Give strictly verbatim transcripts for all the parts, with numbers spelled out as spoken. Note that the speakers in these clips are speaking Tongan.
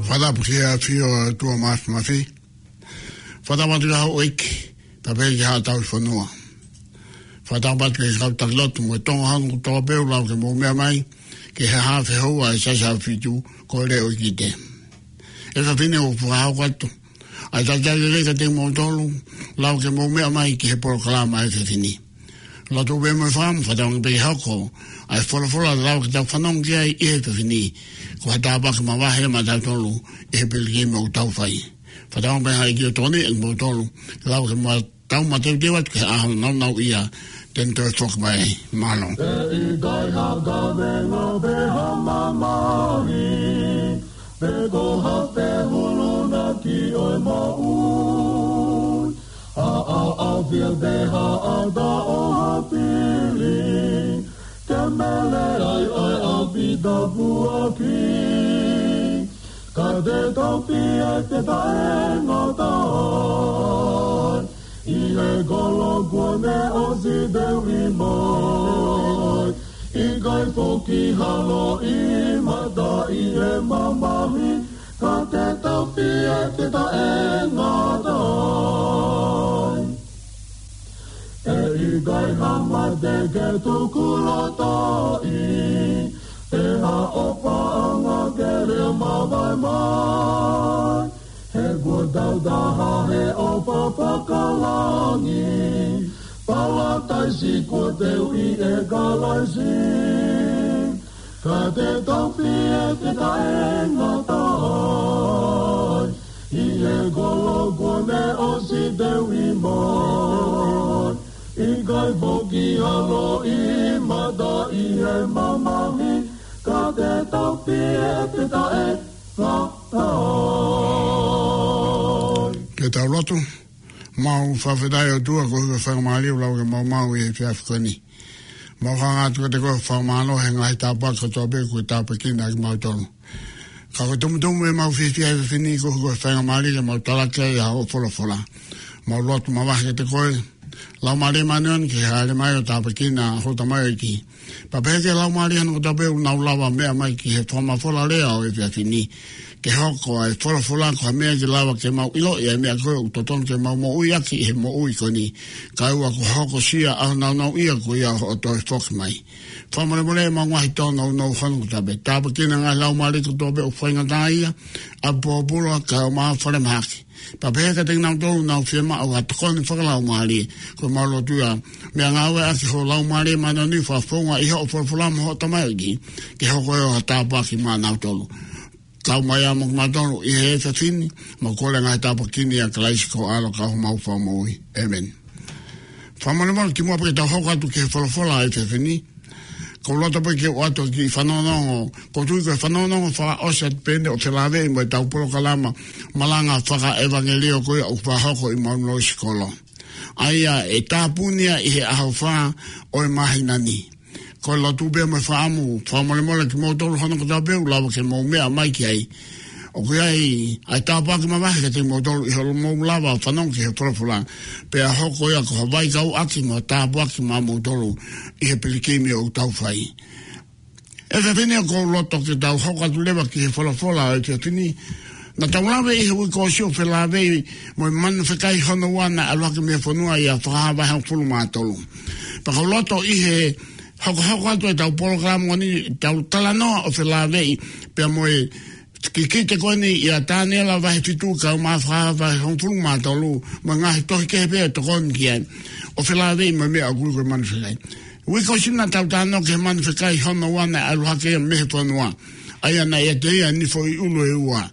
Fakatapu ki he ʻafio ʻa e ʻOtua Māfimafi. Fakatapu atu ki he houʻeiki, pea pehē ki he haʻa tauhi fonua. Fakatapu atu ki he kau taki lotu mo e Tonga hono kotoa pē ʻoku lava ke mou meʻa mai ki he haʻa fehoua ʻa e Siasi ʻAhofitu, ko e Leʻo ʻIkite. ʻE fafine, ʻoku fakahoko atu ʻa e talitali lelei kiate kimoutolu, lava ke mou meʻa mai ki he polokalama ʻa e efiafi ni. Lotu pē mo e fakaʻamu, fakatauange pē ke hoko ʻa e folofola lava ke tau fanongo ki ai ʻi he efiafi ni, ko ha tāpuaki mavahe maʻatautolu ʻi he pilikimi ʻoku tau fai. Fakatauange pē ʻe he ʻEiki ʻo tokoniʻi kimoutolu, lava ke mou tau mateuteu atu ki he ʻaho nāunauʻia te ne toe foki mai. Mālō. ʻE ʻikai ha kavenga pe ha mamahi, pe ko ha fehulunaki ʻo e moʻui, ha ʻaʻafi pe ha ʻata ʻo ha fili, ke mele ai ʻa e ʻapi tāpuaki. Ka te tau pehē te ta ʻe ngata ai, ʻi he kolo kuo ne ʻosi teuʻi mai. ʻIkai foki ha loʻimata ʻi he mamahi, ka te tau pehē te ta ʻe ngata ai. ʻE ʻikai ha mate ke tukulotoʻi, pe ha ʻofaʻanga ke lea mavae mai. He kuo tau taha he ʻofa fakalangi, Palataisi kuo teuʻi ʻe Kalaisi. Ka te tau pehē te ta ʻe ngata ai, ʻi he kolo kuo ne ʻosi teuʻi mai. ʻIkai foki ha loʻimata ʻi he mamahi, ka te tau pehē te ta ʻe ngata ai. Ke tau lotu. Mau fakafetaʻi ʻOtua koeʻuhi ko e faingamālie ʻoku lava ke maumau ʻi he efiafi ko eni. Mau hanga atu kiate koe ʻo fakamālō he ngaahi tāpuaki kotoa pē kuo ke tāpuekina kimautolu. Ka ko e tumutumu ʻemau fiefia he efiafi ni koeʻuhi ko e faingamālie ke mau talaki ai ʻa hoʻo folofola. Mau lotu mavahe kiate koe, Laumālie Māʻoniʻoni, ke hāʻele mai ʻo tāpuekina ho tamaioʻeiki. Pea pehē ki he laumālie hono kotoa pē ʻoku nau lava meʻa mai ki he fakamafola lea ʻo e efiafi ni, ke hoko ʻa e folofola ko ha meʻa ke lava ke mau ʻiloʻi ʻa e meʻa ko ē ʻoku totonu ke mau moʻui ʻaki ʻi he moʻui ko eni, kae ʻoua kuo hokosia ʻa e ʻaho nāunauʻia ko ia hoʻo toe foki mai. Fakamolemole ʻemau ngaahi tōnounou hono kotoa pē. Tāpuekina e ngaahi laumālie kotoa pē ʻoku faingataʻaʻia, ʻapi pōpula, kaeʻumaʻā falemahaki. Pea pehē kiate kinautolu ʻoku nau fiemaʻu ha tokoni fakalaumālie, ko ʻemau lotu ia, meʻangāueʻaki ho Laumālie Māʻoniʻoni, fakafounga ʻi hoʻo folofola mo hoʻo tamaioʻeiki, ke hoko ia ʻo ha tāpuaki maʻanautolu. Kau mai ā mo kimautolu ʻi he efiafi ni, mau kole e ngaahi tāpuaki ni ʻia Kalaisi ko ho ʻAlo ka ko homau Fakamoʻui. ʻĒmeni. Fakamolemole kimuʻa pea ke tau hoko atu ki he folofola ʻo e efiafi ni, ʻoku ou loto pē ke u ʻoatu e kiʻi fanongonongo, ʻoku ou tui ko e fanongonongo fakaʻosi atu pē eni ʻo felāveʻi mo ʻetau polokalama malanga fakaʻevangeliō ko ia ʻoku fakahoko ʻi Maunulu Sikolo. ʻA ia ʻe tāpuni ia ʻi he ʻaho fā ʻo e māhina ni. Ko e lotu pē mo e fakaʻamu, fakamolemole kimoutolu hono kotoa pē ʻoku lava ke mou meʻa mai ki ai. ʻOku ʻi ai ʻa e tāpuaki mavahe kiate kimoutolu ʻi hoʻomou lava ʻo fanongo ki he folofola. Pea hoko ia ko ha vaikauʻaki mo ha tāpuaki maʻamoutolu ʻi he pilikimi ʻoku tau fai. ʻE fefine, ʻoku ou loto ke tau hoko atu leva ki he folofola ʻo e efiafi ni. Naʻa tau lave ʻi he uike kuo ʻosi ʻo felāveʻi mo e manu fekai hono ua naʻe ʻalu hake mei he fonua ʻi he Fakahā vahe hongofulu mā tolu. Pea ʻoku ou loto ʻi he hokohoko atu ʻetau polokalama ni, tau talanoa ʻo felāveʻi pea mo e kikite ko eni ʻia Taniela vahe fitu kaeʻumaʻā Fakahā vahe hongofulu mā tolu, mo e ngaahi tohi kehe pē ʻe tokoni ki ai, ʻo felāveʻi mo e meʻa ʻoku ui ko e manu fekai. Uike kuo ʻosi naʻa tau talanoa ki he manu fekai hono ua naʻe ʻalu hake ia mei he fonua, ʻa ia naʻe ʻiate ia e nifoʻi ʻulu ʻe ua.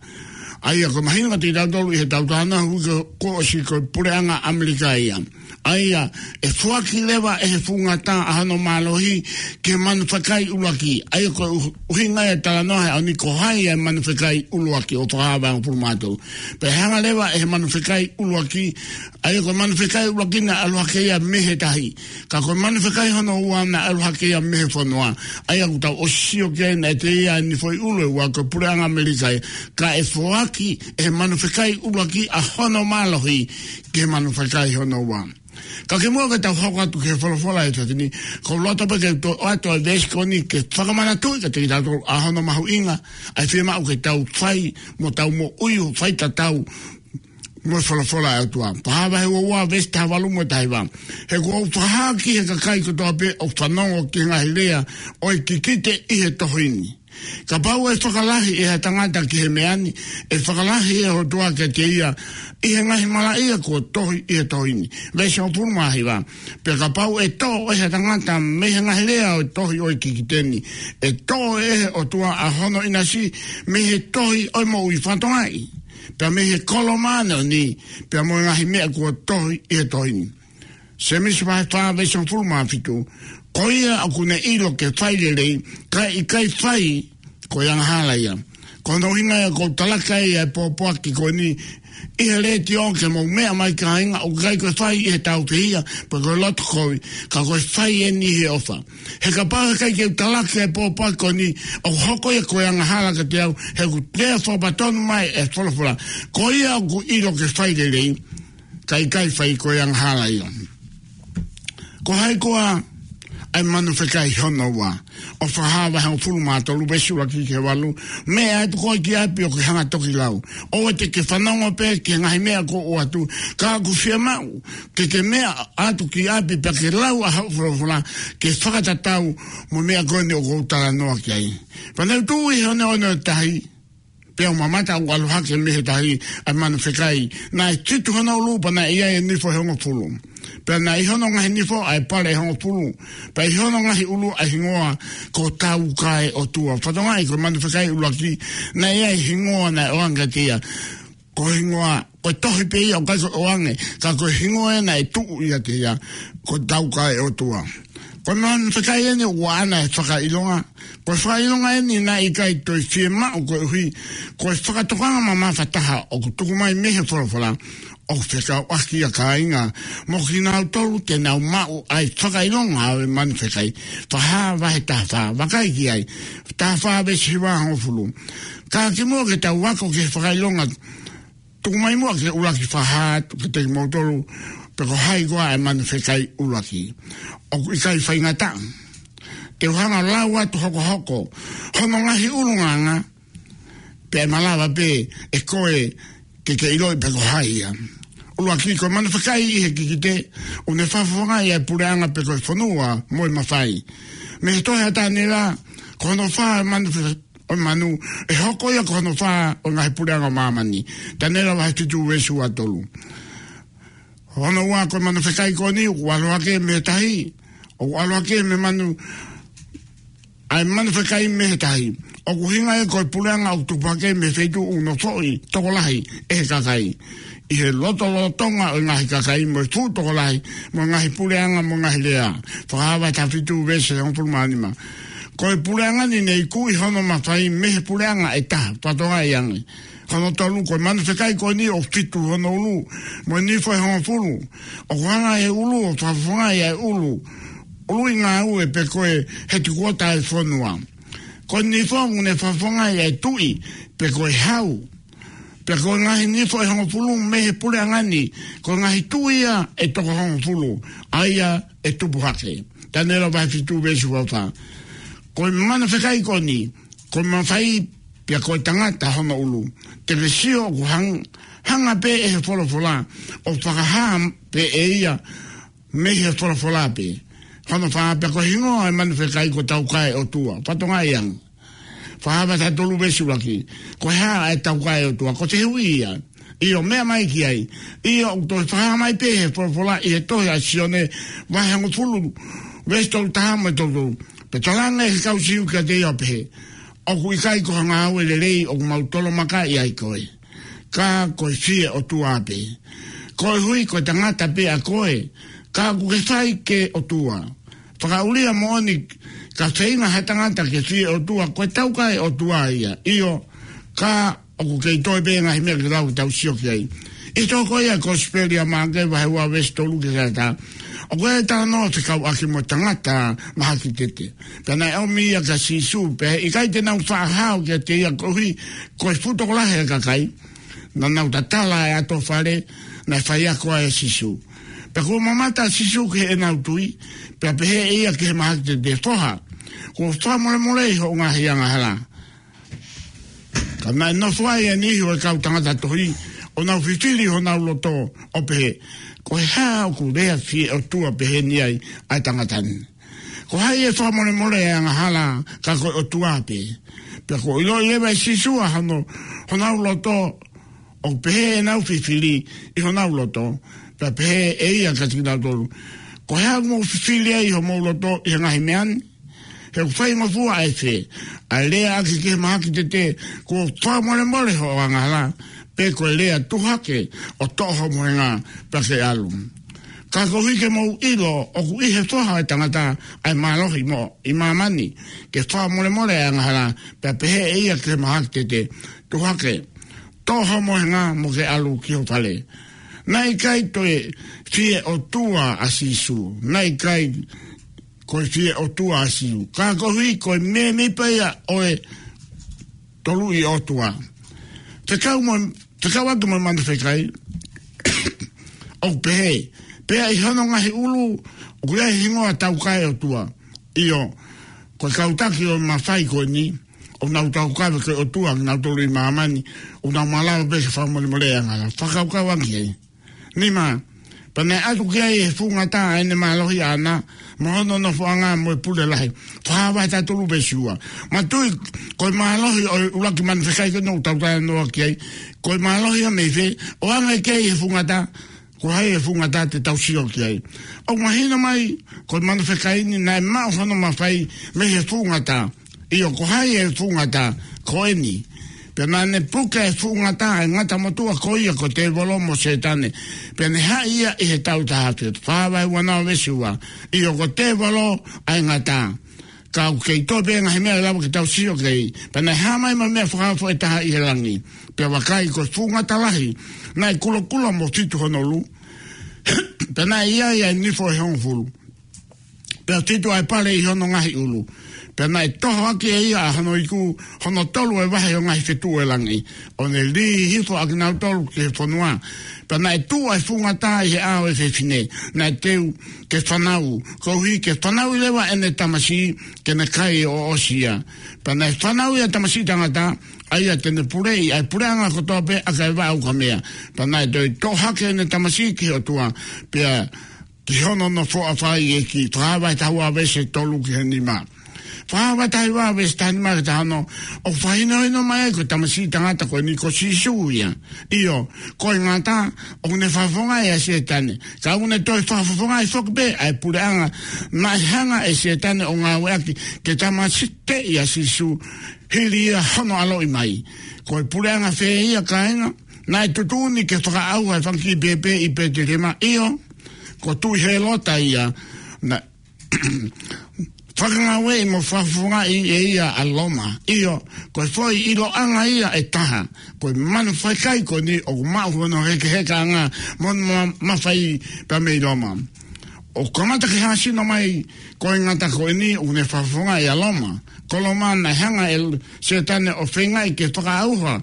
ʻA ia ʻoku mahino kiate kitautolu ʻi heʻetau talanoa he uike kuo ʻosi ko e puleʻanga ʻAmelika ia. ʻA ia, ʻe foaki leva ʻe he fungata ʻa hono mālohi ki he manu fekai ʻuluaki. ʻA ia ko e ʻu-, ʻuhinga ia e talanoa he ʻaho ni ko hai ʻa e manu fekai ʻuluaki ʻo Fakahā vahe hongofulu mā tolu. Pea hanga leva ʻe he manu fekai ʻuluaki, ʻa ia ko e manu fekai ʻuluaki naʻe ʻalu hake ia mei he tahi. Ka ko e manu fekai hono ua naʻe ʻalu hake ia mei he fonua. ʻA ia ʻoku tau ʻosi sio ki ai naʻe ʻiate ia ʻa e nifo ʻi ʻulu ʻe ua ko e puleʻanga ʻAmelika ia. Ka ʻe foaki ʻe he manu fekai ʻuluaki ʻa hono mālohi ki he manu fekai hono ua. Ka kimuʻa ke tau hoko atu ki he folofola ʻo e efiafi ni, ʻoku ou loto pē ke u toʻo atu ʻa e veesi ko eni ke fakamanatuʻi kiate kitautolu ʻa hono mahuʻinga ʻa e fiemaʻu ke tau fai mo tau moʻui ʻo faitatau mo e folofola ʻa e ʻOtua. Fakahā vahe ua ua veesi taha valu mo e taha hiva. He kuo u fakahā ki he kakai kotoa pē ʻoku fanongo ki he ngaahi lea ʻo e kikite ʻi he tohi ni. Kapau ʻe fakalahi ʻe ha tangata ki he meʻa ni, ʻe fakalahi ʻe he ʻOtua kiate ia ʻi he ngaahi malaʻia kuo tohi ʻi he tohi ni. Veesi hongofulu mā hiva. Pea kapau ʻe toʻo ʻe ha tangata mei he ngaahi lea ʻo e tohi ʻo e kikite ni, ʻe toʻo ʻe he ʻOtua ʻa hono ʻinasi mei he tohi ʻo e moʻui. Fakatokangaʻi, pea mei he kolo māʻoniʻoni, pea mo e ngaahi meʻa kuo tohi ʻi he tohi ni. Sēmisi vahe fā veesi hongofulu mā fitu. Ko ia ʻoku ne ʻilo ke fai lelei, kae ʻikai fai, ko e angahala ia. Ko hono ʻuhinga ia ʻoku ou talaki ai ʻa e pōpoaki ko eni ʻi he letiō ke mou meʻa mai kāinga, ʻoku ʻikai ko e fai ʻi he tau fehiʻa pe ko e loto kovi, ka ko e fai eni ʻi he ʻofa. He kapau he ʻikai ke u talaki ʻa e pōpoaki ko eni, ʻoku hoko ia ko e angahala kiate au, he ʻoku toe fakapatonu mai e folofola. Ko ia ʻoku ʻilo ke fai lelei, kae ʻikai fai, ko e angahala ia. Ko hai koā ʻa e manu fekai hono ua ʻo Fakahā vahe hongofulu mā tolu veesi ʻuluaki ki he valu? Meʻa atu koe ki ʻapi ʻo ke hanga toki lau. ʻOua te ke fanongo pē ki he ngaahi meʻa kuo ʻoatu, ka ʻoku fiemaʻu ke ke meʻa atu ki ʻapi pea ke lau ʻa hoʻo folofola ke fakatatau mo e meʻa ko eni ʻoku ou talanoa ki ai. Pea naʻa ku tuʻu ʻi he oneone ʻo e tahi, pea u mamata ʻoku ʻalu hake mei he tahi ʻa e manu fekai. Naʻe fitu hono ʻulu pea naʻe ʻi ai e nifo ʻe hongofulu. Pea naʻe ʻi hono ngaahi nifo ʻa e pale ʻe hongofulu. Pea ʻi hono ngaahi ʻulu ʻa e hingoa ko Taukaeʻotua. Fakatokangaʻi ko e manu fekai ʻuluaki naʻe ʻi ai e hingoa naʻe ʻoange kiate ia. Ko e hingoa, ko e tohi pē ia ʻoku ʻikai ko e ʻoange, ka ko e hingoa ia naʻe tuʻu ʻiate ia, ko Taukaeʻotua. Ko e manu fekai eni ʻoku ʻaʻana e fakaʻilonga. Ko e fakaʻilonga eni naʻe ʻikai toe fiemaʻu koeʻuhi ko e fakatokanga mamafa taha ʻoku tuku mai mei he folofola ʻoku fekauʻaki ia, kāinga, mo kinautolu te nau maʻu ʻa e fakaʻilonga ʻo e manu fekai. Fakahā vahe taha fā, vakai ki ai. Taha fā veesi hiva hongofulu. Ka kimuʻa ke tau ako ki he fakaʻilonga, tuku mai muʻa ke u ʻuluaki fakahā atu kiate kimoutolu pe ko hai koā ʻa e manu fekai ʻuluaki. ʻOku ʻikai faingataʻa. Te u hanga ʻo lau atu hokohoko hono ngaahi ʻulungaanga, pea ʻe malava pē ʻe koe ke ke ʻiloʻi pe ko hai ia. ʻUluaki, ko e manu fekai ʻi he kikite, ʻoku ne fakafofongaʻi ʻa e puleʻanga pe ko e fonua mo e mafai. Mei he tohi ʻa Taniela, ko hono fā ʻa e manu fe-, ʻo e manu, ʻe hoko ia ko hono fā ʻo e ngaahi puleʻanga ʻo māmani. Taniela vahe fitu veesi ua tolu. Hono ua, ko e manu fekai ko eni ʻoku ʻalu hake mei he tahi, ʻoku ʻalu hake mei he manu, ʻa e manu fekai mei he tahi. ʻOku ʻuhinga ia ko e puleʻanga ʻoku tupu hake mei he feituʻu ʻoku nofoʻi tokolahi ʻe he kakai, ʻi he lotolotonga ʻo e ngaahi kakai mo e fuʻu tokolahi, mo e ngaahi puleʻanga mo e ngaahi lea. Fakahā vahe taha fitu veesi hongofulu mā nima. Ko e puleʻanga ni ne ikuʻi hono mafai mei he puleʻanga ʻe taha. Fakatokangaʻi ange. Hono tolu, ko e manu fekai ko eni ʻoku fitu hono ʻulu, mo e nifo ʻe hongofulu. ʻOku hanga ʻe he ʻulu ʻo fakafofongaʻi ʻa e ʻulu, ʻuluʻi ngāue pe ko e hetikuota ʻo e fonua. Ko e nifo ʻoku ne fakafofongaʻi ʻa e tuʻi pe ko e hau. Pea ko e ngaahi nifo ʻe hongofulu mei he puleʻanga ni, ko e ngaahi tuʻi ia ʻe toko hongofulu, ʻa ia ʻe tupu hake. Taniela vahe fitu veesi ua fā. Ko e manu fekai ko eni, ko e mafai pea ko e tangata hono ʻulu. Te ke sio ʻoku hang-, hanga pē ʻe he folofola ʻo fakahā pē ʻe ia mei he folofola pē. Hono fā, pea ko e hingoa ʻo e manu fekai ko Taukaeʻotua. Fakatokangaʻi ange. Fakahā vahe taha tolu veesi ʻuluaki. Ko e hā ʻa e Taukaeʻotua? Ko e fehuʻi ia. ʻIo, meʻa mai ki ai. ʻIo, ʻoku toe fakahā mai pē ʻe he folofola ʻi he tohi ʻa Sione vahe hongofulu veesi tolu taha mo e tolu tolu. Pea talaange ʻe he kau Siu kiate ia ʻo pehē, ʻOku ʻikai ko ha ngāue lelei ʻoku mau tolomakaʻi ai koe, ka ko e fie ʻOtua pē. Koeʻuhi ko e tangata pē ʻa koe, ka ʻoku ke fai ki he ʻOtua. Fakaʻulia moʻoni, ka feinga ha tangata ke fie ʻOtua, ko e taukae ʻOtua ia. ʻIo, ka ʻoku kei toe pē ngaahi meʻa ke lau tau sio ki ai. ʻI he tohi ko ia Kosipeli ʻa Maʻake vahe ua veesi tolu ki he taha. ʻOku ʻi ai e talanoa fekauʻaki mo e tangata mahaki tete. Pea naʻe ʻomi ia kia Sīsū, pea ʻikai te nau faʻa hao kiate ia koeʻuhi, ko e fuʻu tokolahi e kakai. Naʻa nau tatala e ʻato fale, naʻe faiako ai ʻa Sīsū. Pea kuo mamata ʻa Sīsū ki heʻenau tui, pea pehē ʻe ia ki he mahaki tete, Foha, kuo fakamolemoleʻi hoʻo ngaahi angahala. Ka naʻe nofo ai e niʻihi ʻo e kau tangata tohi, ʻo nau fifili honau loto, ʻo pehē, Ko e hā ʻoku lea fie ʻOtua peheni ai ʻa e tangata ni? Ko hai ʻe fakamolemoleʻi e angahala, ka ko e ʻOtua pē? Pea kuo ʻiloʻi leva ʻe Sīsū ʻa hono, honau loto, ʻo pehē ʻenau fifili ʻi honau loto, pea pehē ʻe ia kiate kinautolu, Ko e hā ʻoku mou fifili ai ʻi homou loto ʻi he ngaahi meʻa ni? He ʻoku faingofua ʻa e fē, ʻa e lea ʻaki ki he mahaki tete, Kuo fakamolemoleʻi hoʻo angahala, pe ko e lea, Tuʻu hake ʻo toʻo ho mohenga pea ke ʻalu? Ka koeʻuhi ke mou ʻilo ʻoku ʻi he Foha ʻo e Tangata ʻa e mālohi mo ʻi māmani ke fakamolemoleʻi e angahala, pea pehē ʻe ia ki he mahaki tete, Tuʻu hake, toʻo ho mohenga mo ke ʻalu ki ho fale. Naʻe ʻikai toe fie ʻOtua ʻa Sīsū. Naʻe ʻikai ko e fie ʻOtua ʻa Sīsū. Ka koeʻuhi ko e mēmipa ia ʻo e Toluʻi ʻOtua. Fekau mo, fekauʻaki mo e manu fekai, ʻoku pehē, Pea ʻi hono ngaahi ʻulu ʻoku ʻi ai e hingoa taukae ʻOtua. ʻIo, ko e kau taki ʻo e mafai ko eni, ʻoku nau taukaveʻi ko e ʻOtua kinautolu ʻi māmani, ʻoku nau malava pē ke fakamolemoleʻi e angahala. Fakakaukauʻaki ai. Nima, pea naʻe ʻatu ki ai ʻe he fuʻu ngata ʻa ʻene mālohi ʻaʻana, mo hono nofoʻanga mo e pule lahi. Fakahā vahe taha tolu veesi ua. Manatuʻi, ko e mālohi ʻo e ʻuluaki manu fekai ko eni ʻoku tau talanoa ki ai. Ko e mālohi ia mei fē, ʻoange ki ai ʻe he fuʻu ngata, ko hai ʻe he fuʻu ngata te tau sio ki ai. ʻOku mahino mai, ko e manu fekai ni naʻe maʻu hono mafai mei he fuʻu ngata. ʻIo, ko hai e fuʻu ngata? Ko eni. Pea naʻa ne puke e fuʻu ngata, e ngata motuʻa ko ia ko Tēvolo mo Sētane. Pea ne haʻi ia ʻi he taʻu taha afe. Fakahā vahe ua noa veesi ua. ʻIo, ko Tēvolo ʻa e ngata. Ka ʻoku kei toe pē ngaahi meʻa ʻe lava ke tau sio ki ai. Pea naʻe hā mai mo e meʻa fakaofo ʻe taha ʻi he langi. Pea vakai, ko e fuʻu ngata lahi, naʻe kulokula mo fitu hono ʻulu. Pea naʻe ʻi ai ʻa e nifo ʻe hongofulu. Pea fitu ʻa e pale ʻi hono ngaahi ʻulu. Pea naʻe toho ʻaki ʻe ia ʻa hono iku, hono tolu e vahe ʻo e ngaahi fetuʻu ʻo e langi, ʻo ne lī hifo ʻa kinautolu ki he fonua. Pea naʻe tuʻu ʻa e fuʻu ngata ʻi he ʻao ʻo e fefine, naʻe teu ke fanau, koeʻuhi ke fanauʻi leva ʻene tamasiʻi, ke ne kai ʻo ʻosi ia. Pea naʻe fanauʻi ʻa e tamasiʻi tangata, ʻa ia te ne puleʻi ʻa e puleʻanga kotoa pē ʻa e vaʻa ukamea. Pea naʻe toe toʻo hake ʻene tamasiʻi ki he ʻOtua, pea ki hono nofoʻanga ʻi he ʻEiki. Fakahā vahe taha ua veesi tolu ki he nima. Fakahā vahe taha ua veesi taha nima ki he taha ono, ʻoku fakahinohino mai ai ko e tamasiʻi tangata ko eni ko Sīsū ia. ʻIo, ko e ngata, ʻoku ne fakafofongaʻi ʻa Sētane. Ka ʻoku ne toe fakafofongaʻi foki pē ʻa e puleʻanga naʻe hanga ʻe Sētane ʻo ngāueʻaki ke tāmateʻi ʻa Sīsū hili ia hono ʻaloʻi mai. Ko e puleʻanga fē ia, kāinga? Naʻe tuʻutuʻuni ke fakaʻauha e fanga kiʻi pēpē ʻi Pētelihema, ʻio, ko Tuʻi Hēlota ia, naʻe fakangāueʻi mo fakafofongaʻi ʻe ia ʻa Loma. ʻIo, ko e foʻi ʻiloʻanga ia ʻe taha, ko e manu fekai ko eni ʻoku maʻu hono hekehekaʻanga mo hono ma-, mafai pea mei Loma. ʻOku kamata ke hāsino mai ko e ngata ko eni ʻoku ne fakafofongaʻi ʻa Loma. Ko Loma naʻe hanga ʻe Sētane ʻo feingaʻi ke fakaʻauha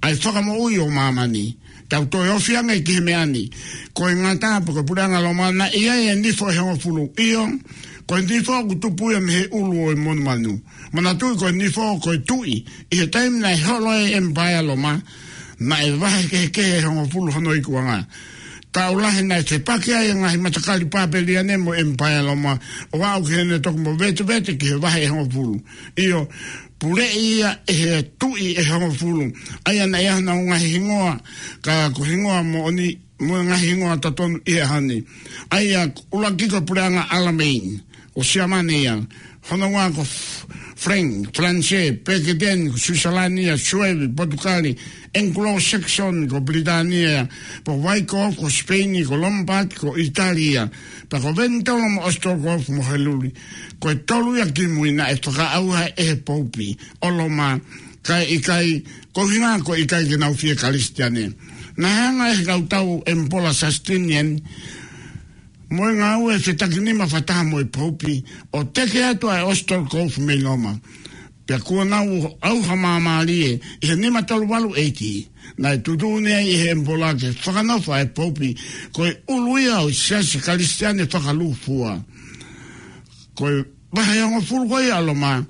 ʻa e fakamoʻui ʻo māmani. Tau toe ofi ange ki he meʻa ni. Ko e ngata pe ko e puleʻanga Loma naʻe ʻi ai e nifo ʻe hongofulu. ʻIo, ko e nifo ʻoku tupu ia mei he ʻulu ʻo e monumanu. Manatuʻi ko e nifo ko e tuʻi. ʻI he taimi naʻe holo ai e ʻemipaea Loma, naʻe vahekehekehe ʻe hongofulu hono ikuʻanga. Taʻu lahi naʻe fepaki ai e ngaahi matakali Papeliane mo e ʻemipaea Loma, ʻo aʻu ki heʻene toki movetevete ki he vahe ʻe hongofulu. ʻIo, puleʻi ia ʻe he tuʻi ʻe hongofulu. ʻA ia naʻe ʻi ai honau ngaahi hingoa, ka ko e hingoa moʻoni, mo e ngaahi hingoa totonu ʻi he ʻaho ni. ʻA ia ʻuluaki ko e puleʻanga ʻAlamai. Ko Siamane ia, hono ua ko F-, Frank, Falanise, Peketeni, ko Suisalani ia, Suevi, Potukali, Anglo-Saxon, ko Pilitānia ia, pea Vaiko, ko Sipeini, ko Lombard, ko ʻItālia, pea ko Venitolo mo ʻOsitolokofu mo Heluli. Ko e tolu ia kimui naʻe fakaʻauha ʻe he Poupi ʻo Loma, kae ʻikai, ko e ʻuhinga ko e ʻikai ke nau fie Kalisitiane. Naʻe hanga ʻe he kau tau ʻEmipola Sasitiniani mo e ngāue fetakinima fakataha mo e Poupi ʻo teke atu ʻa ʻOsitolokofu mei Loma. Pea kuo nau ʻauha māmālie ʻi he nima tolu valu ʻeiki. Naʻe tuʻutuʻuni ai ʻe he ʻEmipola ke fakanofo ʻa e Poupi ko e ʻulu ia ʻo e Siasi Kalisitiane fakalūkufua. Ko e vahe hongofulu ko ia ʻa Loma,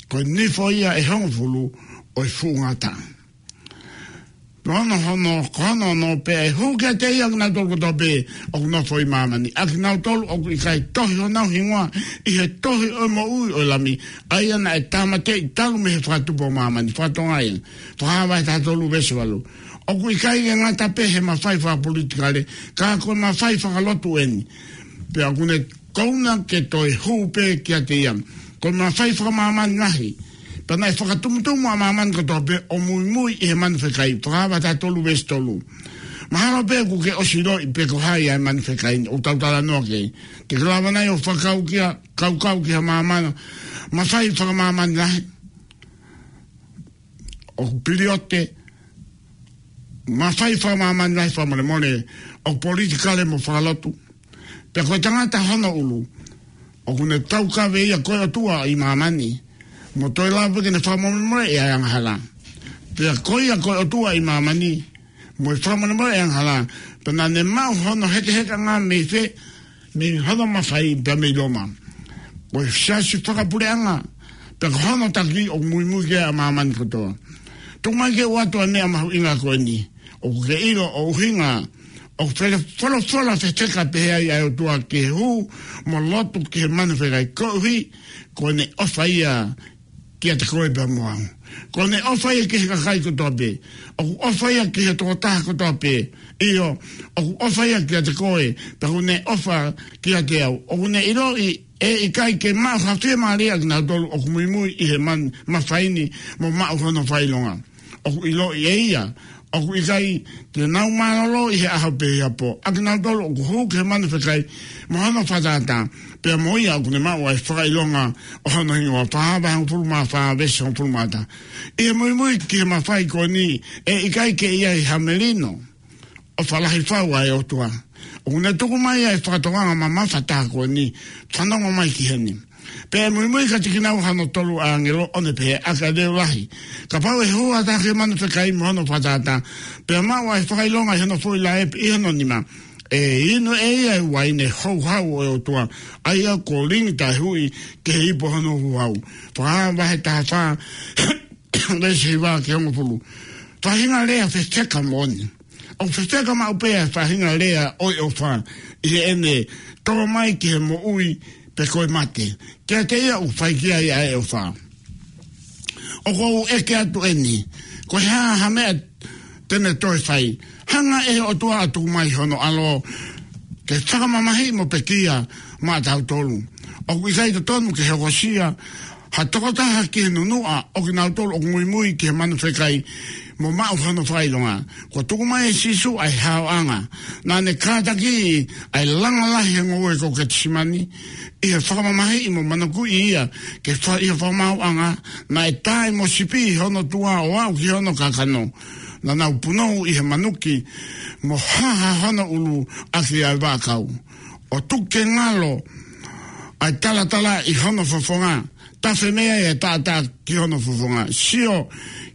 ko e nifo ia ʻe hongofulu ʻo e fuʻu ngata. Ko hono, hono, ko hono ono pē ʻe hū kiate ia ʻa kinautolu kotoa pē ʻoku nofo ʻi māmani. ʻA kinautolu ʻoku ʻikai tohi honau hingoa ʻi he tohi ʻo e moʻui ʻo e Lami, ʻa ia naʻe tāmateʻi talu mei he fakatupu ʻo māmani. Fatongia, Fakahā vahe taha tolu veesi valu. ʻOku ʻikai ke ngata pē he mafai fakapolitikale, ka ko e mafai fakalotu eni. Pea ʻoku ne kona ke toe hū pē kiate ia. Ko e mafai fakamāmani lahi. Pea naʻe fakatumutumu ʻa māmani kotoa pē ʻo muimui ʻi he manu fekai. Fakahā vahe taha tolu veesi tolu. Mahalo pē kuo ke ʻosi ʻiloʻi pe ko hai ʻa e manu fekai ni, ʻoku tau talanoa ki ai. Te ke lava nai ʻo fakakaukau ki ha māmani, mafai fakamāmani lahi. ʻOku piliote, mafai fakamāmani lahi fakamolemole, ʻoku politikale mo fakalotu. Pea ko e tangata hono ʻulu, ʻoku ne taukave ia ko e ʻOtua ʻi māmani, mo toe lava ke ne fakamolemoleʻi ʻa e angahala. Pea ko ia ko e ʻOtua ʻi māmani, mo e fakamolemoleʻi ʻa e angahala, pea naʻa ne maʻu hono hekeheka ngā mei fē, mei hono mafai pea mei Loma. Ko e siasi fakapuleʻanga, pea ko hono taki ʻoku muimui ki ai ʻa māmani kotoa. Tuku mai ke u ʻoatu ʻa e meʻa mahuʻinga ko eni, ʻoku ke ʻilo ʻo ʻuhinga, ʻoku fele folofola fefeka pehē ai ʻa e ʻOtua ki he hū mo lotu ki he manu fekai koeʻuhi, ko ʻene ʻofa ia kiate koe pea mo au. Ko ʻene ʻofa ia ki he kakai kotoa pē. ʻOku ʻofa ia ki he tokotaha kotoa pē. ʻIo, ʻoku ʻofa ia kiate koe, pea ʻoku ne ʻofa kiate au. ʻOku ne ʻiloʻi ʻe ʻikai ke maʻu ha fiemālie ʻa kinautolu ʻoku muimui ʻi he man-, mafai ni mo maʻu hono fakaʻilonga. ʻOku ʻiloʻi ʻe ia ʻoku ʻikai te nau mālōlō ʻi he ʻaho pe ʻi ha pō ʻa kinautolu ʻoku hū ki he manu fekai mo hono fakatātā, pea mo ia ʻoku ne maʻu ʻa e fakaʻilonga ʻo hono hingoa. Fakahā vahe hongofulu mā fā veesi hongofulu mā taha. ʻI he muimui ki he mafai ko eni, ʻe ʻikai ke ʻi ai ha melino ʻofa lahi fau ʻa e ʻOtua. ʻOku ne tuku mai ʻa e fakatokanga mamafa taha ko eni, fanongo mai ki heni. Pea ʻe muimui kiate kinaua hono tolu ʻa e ʻāngelo ʻo ne pehē, ʻAki ʻa e leʻo lahi, kapau ʻe hū ha taha ki he manu fekai mo hono fakatātā, pea maʻu ʻa e fakaʻilonga ʻi hono foʻi laʻepi ʻi hono nima, ʻe inu ʻe ia ʻa e uaine houhau ʻo e ʻOtua, ʻa ia kuo lingi taʻehuʻi ki he ipu ʻo hono houhau. Fakahā vahe taha fā veesi hiva ki he hongofulu. Faʻahinga lea fefeka moʻoni. ʻOku fefeka maʻu pē ʻa e faʻahinga lea ʻo e ʻofa ʻi heʻene tō mai ki he moʻui pe ko e mate. Kiate ia ʻoku fai ki ai ʻa e ʻofa. ʻOku ou ʻeke atu eni, ko e hā ha meʻa te ne toe fai? Hanga ʻe he ʻOtua ʻo tuku mai hono ʻAlo ke fakamamahiʻi mo pekia maʻatautolu. ʻOku ʻikai totonu ke hokosia ha tokotaha ki he nunuʻa ʻo kinautolu ʻoku muimui ki he manu fekai mo maʻu hono fakaʻilonga. Kuo tuku mai ʻe Sīsū ʻa e haoʻanga. Naʻa ne kātakiʻi ʻa e langa lahi he ngoue ko Ketisemani ʻi he fakamamahiʻi mo manukiʻi ia ke fai ʻi he fakamaauʻanga. Naʻe taʻe mo sipi hono tuʻa ʻo aʻu ki hono kakano. Naʻa nau punou ʻi he manuki mo haha hono ʻulu ʻaki ʻa e vaʻakau. ʻO tuku ke ngalo ʻa e talatala ʻi hono fofonga. Tafe mei ai ʻa e taʻataʻa ki hono fofonga. Sio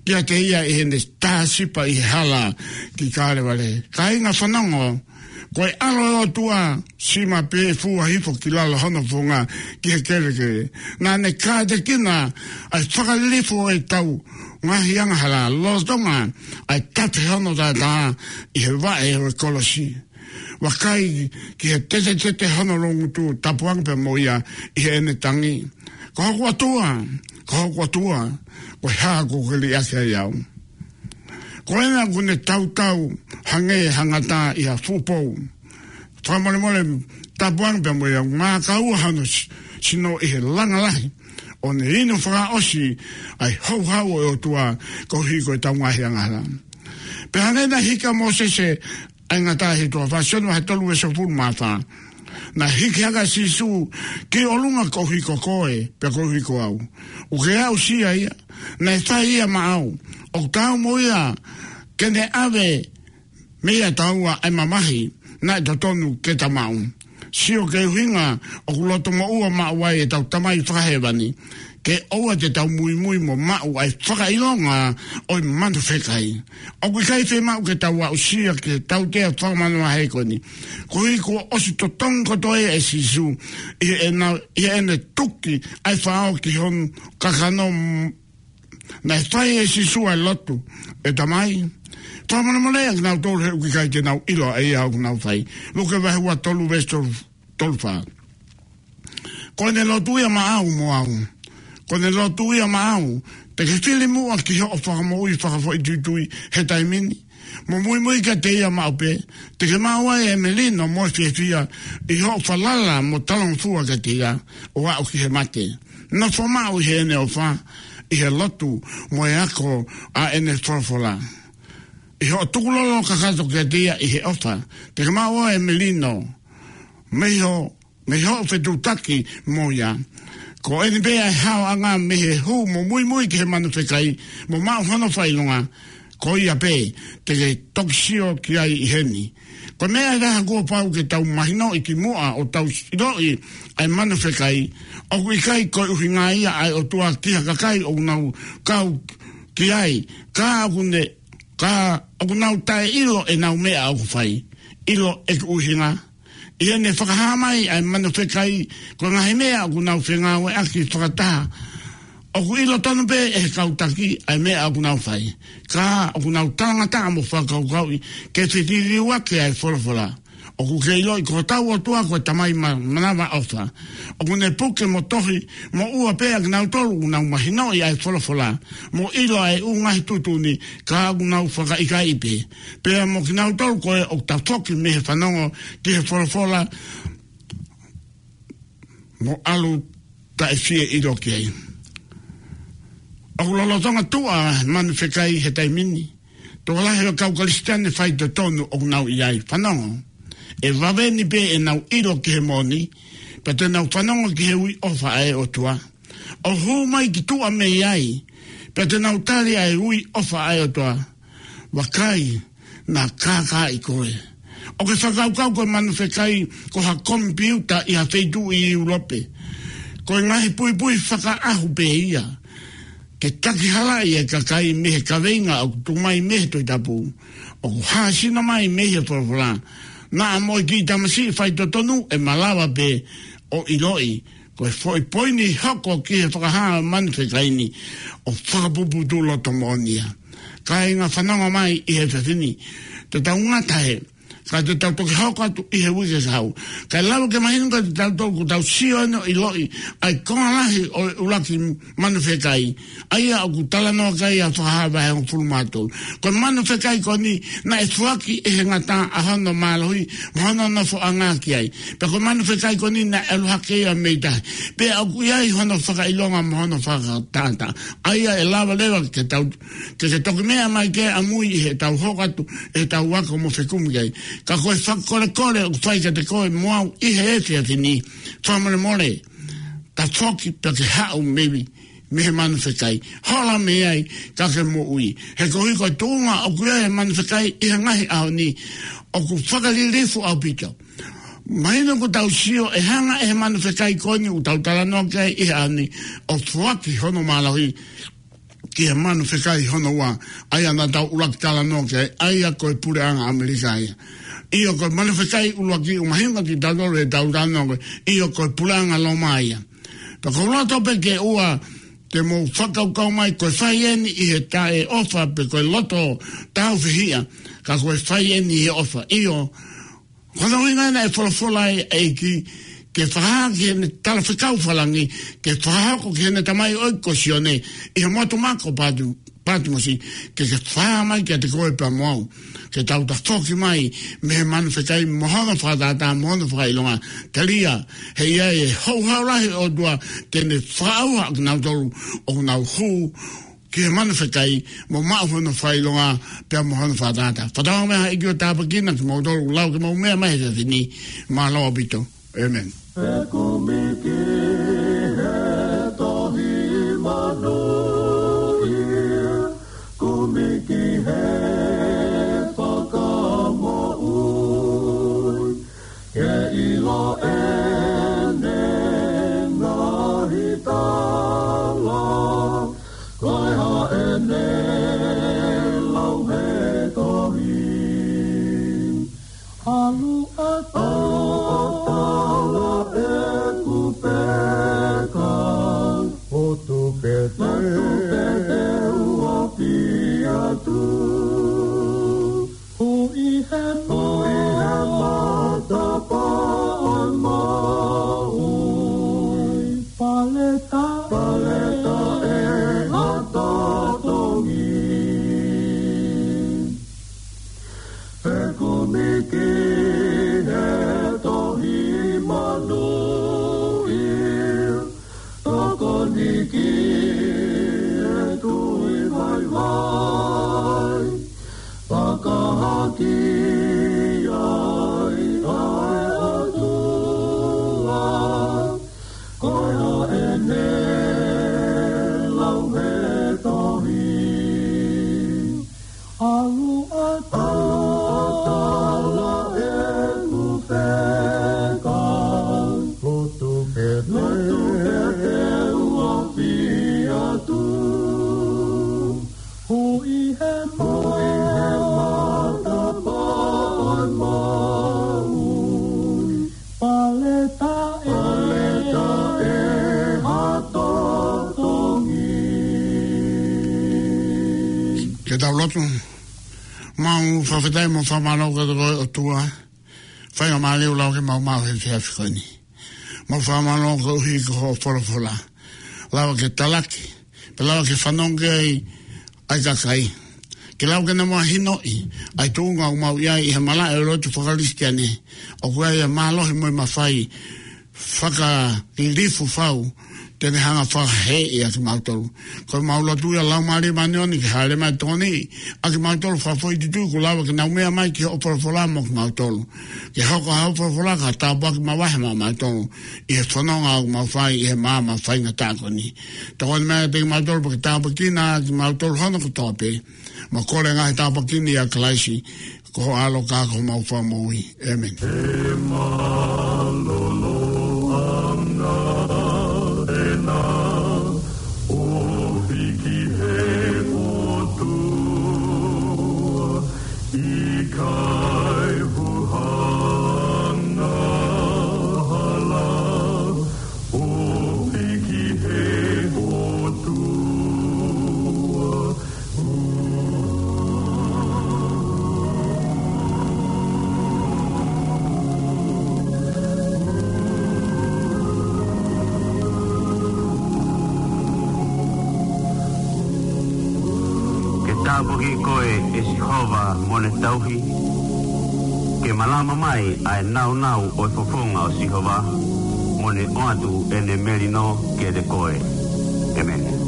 kiate ia ʻi heʻene tāsipa ʻi he hala ki Kalevale. Kāinga, fanongo, ko e ʻAlo ʻo e ʻOtua, sima pē fua hifo ki lalo hono fofonga ki he kelekele. Naʻa ne kātekina ʻa e fakalilifu ʻo ʻetau ngaahi angahala lolotonga ʻa e tafe hono taʻataʻa ʻi he vaʻe ʻo e kolosi. Vakai ki he tetetete hono loungutu, tapuange pea mo ia ʻi heʻene tangi, Ko hoku ʻOtua, ko hoku ʻOtua, ko e hā kuo ke liʻaki ai au? Ko ena kuo ne tautau hangē ha ngata ʻi ha fuʻu pou. Fakamolemole, tapu ange pea mo ia ngā kaua hano s-, sino ʻi he langa lahi, ʻo ne inu fakaʻosi ʻa e houhau ʻo e ʻOtua koeʻuhi ko ʻetau ngaahi angahala. Pea hangē naʻe hiki ʻa Mōsese ʻa e ngata ʻi he toafa, Sione vahe tolu veesi hongofulu mā fā. Naʻe hiki hake ʻa Sīsū ki ʻolunga koeʻuhi ko koe, pea koeʻuhi ko au. ʻOku ke aʻusia ia, naʻe fai ia maʻau. ʻOku taau mo ia ke ne ʻave meiate au ʻa e mamahi naʻe totonu ke ta maʻu. Sio ki he ʻuhinga ʻoku loto moʻua maʻu ai ʻetau Tamai Fakahēvani, ke ʻoua te tau muimui mo maʻu ʻa e fakaʻilonga ʻo e manu fekai. ʻOku ʻikai fiemaʻu ke tau aʻusia ki he tautea fakamāvahevahe ko eni, koeʻuhi kuo ʻosi totongi kotoa ia ʻe Sīsū ʻi heʻena, ʻi heʻene tuki ʻa e faʻao ki hono kakano. Naʻe fai ʻe Sīsū ʻa e lotu: ʻE Tamai, fakamolemoleʻi ʻa kinautolu he ʻoku ʻikai te nau ʻilo ʻa ia ʻoku nau fai. Luke vahe ua tolu veesi tolu, tolu fā. Ko ʻene lotu ia maʻau mo au. Ko ʻene lotu ia maʻau. Te ke fili muʻa ki hoʻo fakamoʻui fakafoʻituitui he taimi ni, mo muimui kiate ia maʻu pē, te ke maʻu ai e melino mo e fiefia ʻi hoʻo falala mo talangofua kiate ia ʻo aʻu ki he mate. Nofo maʻu ʻi heʻene ʻofa, ʻi he lotu mo e ako ʻa ʻene folofola. ʻI hoʻo tukulolo kakato kiate ia ʻi he ʻofa, te ke maʻu ai e melino mei ho, mei hoʻo fetuʻutaki mo ia. Ko eni pē ʻa e haoʻanga mei he hū mo muimui ki he manu fekai mo maʻu hono fakaʻilonga, ko ia pē te ke toki sio ki ai ʻi heni. Ko e meʻa ʻe taha kuo pau ke tau mahinoʻi kimuʻa ʻo tau ʻiloʻi ʻa e manu fekai, ʻoku ʻikai ko e ʻuhinga ia ʻa e ʻOtua ki ha kakai ʻoku nau kau ki ai, ka ʻoku ne, ka ʻoku nau taʻeʻilo ʻenau meʻa ʻoku fai. ʻIlo ʻeku ʻuhinga? ʻI heʻene fakahā mai ʻa e manu fekai, ko e ngaahi meʻa ʻoku nau fengāueʻaki fakataha, ʻoku ʻilo tonu pē ʻe he kau taki ʻa e meʻa ʻoku nau fai, ka ʻoku nau talangataʻa mo fakakaukauʻi ke fetiliuaki ʻa e folofola. ʻOku ke ʻiloʻi ko hotau ʻOtua ko e Tamai ma-, manavaʻofa. ʻOku ne puke mo tohi moʻua pē ʻa kinautolu ʻoku nau mahinoʻi ʻa e folofola mo ʻilo ʻa e ʻū ngaahi tuʻutuʻuni, ka ʻoku nau fakaʻikaiʻi pē. Pea mo kinautolu ko ē ʻoku tafoki mei he fanongo ki he folofola mo ʻalu taʻefieʻilo ki ai. ʻOku lolotonga tuʻa manu fekai he taimi ni. Tokolahi ʻo e kau Kalisitiane faitotonu ʻoku nau ʻi ai. Fanongo. ʻE vave ni pē ʻenau ʻilo ki he moʻoni, pea te nau fanongo ki he ui ʻofa ʻa e ʻOtua. ʻO hū mai ki tuʻa mei ai, pea te nau tali ʻa e ui ʻofa ʻa e ʻOtua. Vakai, naʻa kākaaʻi koe. ʻOku ke fakakaukau ko e manu fekai ko ha komipiuta ʻi ha feituʻu ʻi ʻIulope? Ko e ngaahi puipui fakaʻahu pē ia ke takihalaʻi e kakai mei he kaveinga ʻoku tuku mai mei he Tohi Tapu, ʻoku hāsino mai mei he folofola. Naʻa mo e kiʻi tamasiʻi faitotonu ʻe malava pē ʻo ʻiloʻi ko e foʻi poini hoko ki he fakahā manu fekai ni ʻo fakapuputuʻu loto moʻoni ia. Kāinga, fanongo mai ʻi he efiafi ni. Te tau ngata hē, ka te tau toki hoko atu ʻi he uike kahaʻu. Kae lava ke mahino kiate kitautolu kuo tau sio ʻeni ʻo ʻiloʻi ʻa e konga lahi ʻo e ʻuluaki manu fekai, ʻa ia ʻoku talanoa ki ai ʻa Fakahā vahe hongofulu mā tolu. Ko e manu fekai ko eni naʻe foaki ʻe he ngata ʻa hono mālohi mo hono nofoʻanga ki ai. Pea ko e manu fekai ko eni naʻe ʻalu hake ia mei tahi. Pea ʻoku ʻi ai hono fakaʻilonga mo hono fakatātā, ʻa ia ʻe lava leva ke tau, ke, ke toki meʻa mai ki ai ʻamui ʻi heʻetau hoko atu ʻetau ako mo fekumi ki ai. Ka ko e fakakolekole ʻoku fai kiate koe mo au ʻi he efiafi ni, fakamolemole, tafoki pea ke haʻu mei, mei he manu fekai. Hola mei ai, ka ke moʻui. He koeʻuhi ko e tuʻunga ʻoku ʻi ai e manu fekai ʻi he ngaahi ʻaho ni, ʻoku fakalilifu ʻaupito. Mahino kuo tau sio ʻe hanga ʻe he manu fekai ko eni ʻoku tau talanoa ki ai ʻi he ʻaho ni, ʻo foaki hono mālohi ki he manu fekai hono ua, ʻa ia naʻa tau ʻuluaki talanoa ki ai, ʻa ia ko e puleʻanga ʻAmelika ia. ʻIo, ko e manu fekai ʻuluaki ʻoku mahino kiate kitautolu ʻetau talanoa ki ai, ʻio, ko e puleʻanga Loma ia. Pea ʻoku ou loto pē ke ʻoua te mou fakakaukau mai ko e fai eni ʻi he taʻeʻofa pe ko e loto tāufehiʻa, ka ko e fai eni ʻi he ʻofa. ʻIo, ko hono ʻuhinga ena ʻe folofola ai e ʻEiki, ke fakahā ki heʻene talafekau fakalangí, ke fakahoko ki heʻene tamaioʻeiki ko Sione, ʻi he motu mako patu, Patimosi, ke ke fā mai kiate koe pea mo au. Ke tau tafoki mai mei he manu fekai mo hono fakatātā mo hono fakaʻilonga. Telia, he ʻe ʻi ai e houhau lahi ʻo e ʻOtua te ne fakaʻauha ʻa kinautolu ʻoku nau hū ki he manu fekai mo maʻu hono fakaʻilonga pea mo hono fakatātā. Fakatauange mai ha ʻEiki ʻo tāpuekina kimoutolu ʻoku lau ke mou meʻa mai he efiafi ni. Mālō ʻaupito. ʻĒmeni. He kumi ki he tohi manuʻia, kumi ki he fakamoʻui, ke ʻilo ʻene ngaahi tala, ko e hā ʻene lau he tohi. ʻAlu ʻatā ʻeku peka, lotu pē te u ofi atu. Hui he, hui he matapā ʻo e moʻui, paleta, paleta ʻe ha totongi. He kumi ki he tohi manuʻia, tokoni ki he tui vaivai, fakahā ki ai ʻa e ʻOtua, ko e hā ʻene lau he tohi. ʻAlu ʻatā, ʻalu ʻatā ʻeku peka, lotu pē te, lotu pē te u ofi atu. Hui he, hui he matapā ʻo e moʻui, paleta ʻe, paleta ʻe ha totongi. Ke tau lotu. Mau fakafetaʻi mo fakamālō kiate koe ʻOtua. Faingamālie ʻoku lau ke mau maʻu he efiafi ko eni. Mau fakamālō koeʻuhi ko hoʻo folofola. Lava ke talaki, pea lava ke fanongo ki ai ʻa e kakai. Ke lau ke nau mahinoʻi ʻa e tuʻunga ʻoku mau ʻi ai ʻi he malaʻe ʻo e lotu faka-Kalisitiane. ʻOku ʻi ai e mālohi mo e mafai fakalilifu fau te ne hanga ʻo fakahēʻi ʻa kimautolu. Ko ʻemau lotu ia Laumālie Māʻoniʻoni ke hāʻele mai ʻo tokoniʻi ʻa kimautolu fakafoʻituitui kuo lava ke nau meʻa mai ki hoʻo folofola mo kimautolu. Ke hoko ʻa hoʻo folofola ko ha tāpuaki makehe maʻamautolu ʻi he fononga ʻoku mau fai ʻi he maama faingataʻa ko eni. Tokoni mai kiate kimautolu pea ke tāpuekina ʻa kimautolu hono kotoa pē. Mau kole ngaahi tāpuaki ni ʻia Kalaisi, ko ho ʻAlo ka ko homau Fakamoʻui. ʻĒmeni. He mālōlō ʻanga ʻena ofi ki he ʻOtua, ʻikai huhanga hala, ofi ki he ʻOtua. Ke tāpuakiʻi koe ʻe Sihova mo ne tauhi, ke malama mai ʻa e nāunau ʻo e fofonga ʻo Sihova, mo ne ʻoatu ʻene melino kiate koe. ʻĒmeni.